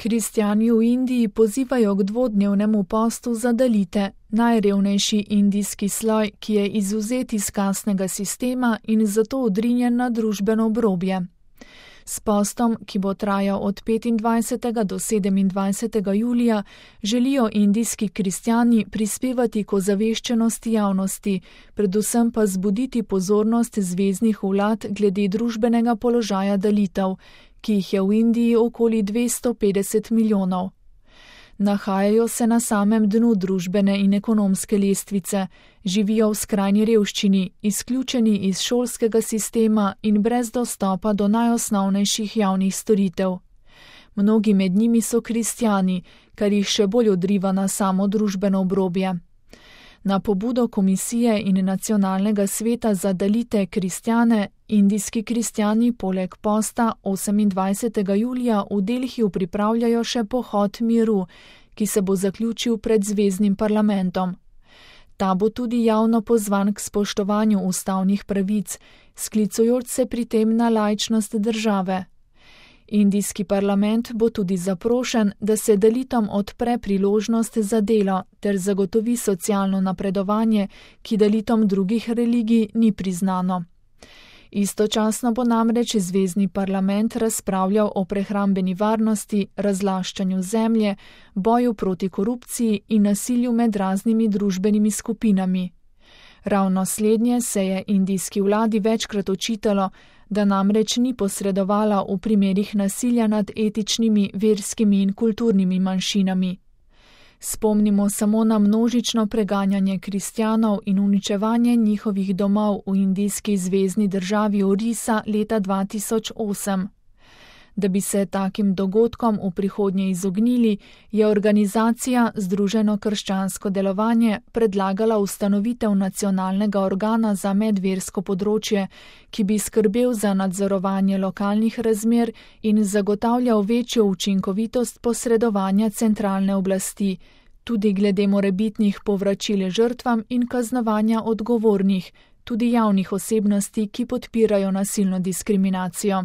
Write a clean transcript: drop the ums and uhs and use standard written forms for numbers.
Kristjani v Indiji pozivajo k dvodnevnemu postu za dalite, najrevnejši indijski sloj, ki je izvzet iz kastnega sistema in zato odrinjen na družbeno obrobje. S postom, ki bo trajal od 25. do 27. julija, želijo indijski kristjani prispevati k ozaveščenosti javnosti, predvsem pa zbuditi pozornost zveznih vlad glede družbenega položaja dalitev, ki jih je v Indiji okoli 250 milijonov. Nahajajo se na samem dnu družbene in ekonomske lestvice, živijo v skrajni revščini, izključeni iz šolskega sistema in brez dostopa do najosnovnejših javnih storitev. Mnogi med njimi so kristjani, kar jih še bolj odriva na samo družbeno obrobje. Na pobudo Komisije in Nacionalnega sveta za dalite kristjane, indijski kristjani poleg posta 28. julija v Delhiju pripravljajo še pohod miru, ki se bo zaključil pred zveznim parlamentom. Ta bo tudi javno pozvan k spoštovanju ustavnih pravic, sklicujoč se pri tem na laičnost države. Indijski parlament bo tudi zaprošen, da se dalitom odpre priložnost za delo ter zagotovi socialno napredovanje, ki dalitom drugih religij ni priznano. Istočasno bo namreč zvezni parlament razpravljal o prehrambeni varnosti, razlaščanju zemlje, boju proti korupciji in nasilju med raznimi družbenimi skupinami. Ravno slednje se je indijski vladi večkrat očitalo, da namreč ni posredovala v primerih nasilja nad etičnimi, verskimi in kulturnimi manjšinami. Spomnimo samo na množično preganjanje kristjanov in uničevanje njihovih domov v indijski zvezni državi Orisa leta 2008. Da bi se takim dogodkom v prihodnje izognili, je organizacija Združeno krščansko delovanje predlagala ustanovitev nacionalnega organa za medversko področje, ki bi skrbel za nadzorovanje lokalnih razmer in zagotavljal večjo učinkovitost posredovanja centralne oblasti, tudi glede morebitnih povračil žrtvam in kaznovanja odgovornih, tudi javnih osebnosti, ki podpirajo nasilno diskriminacijo.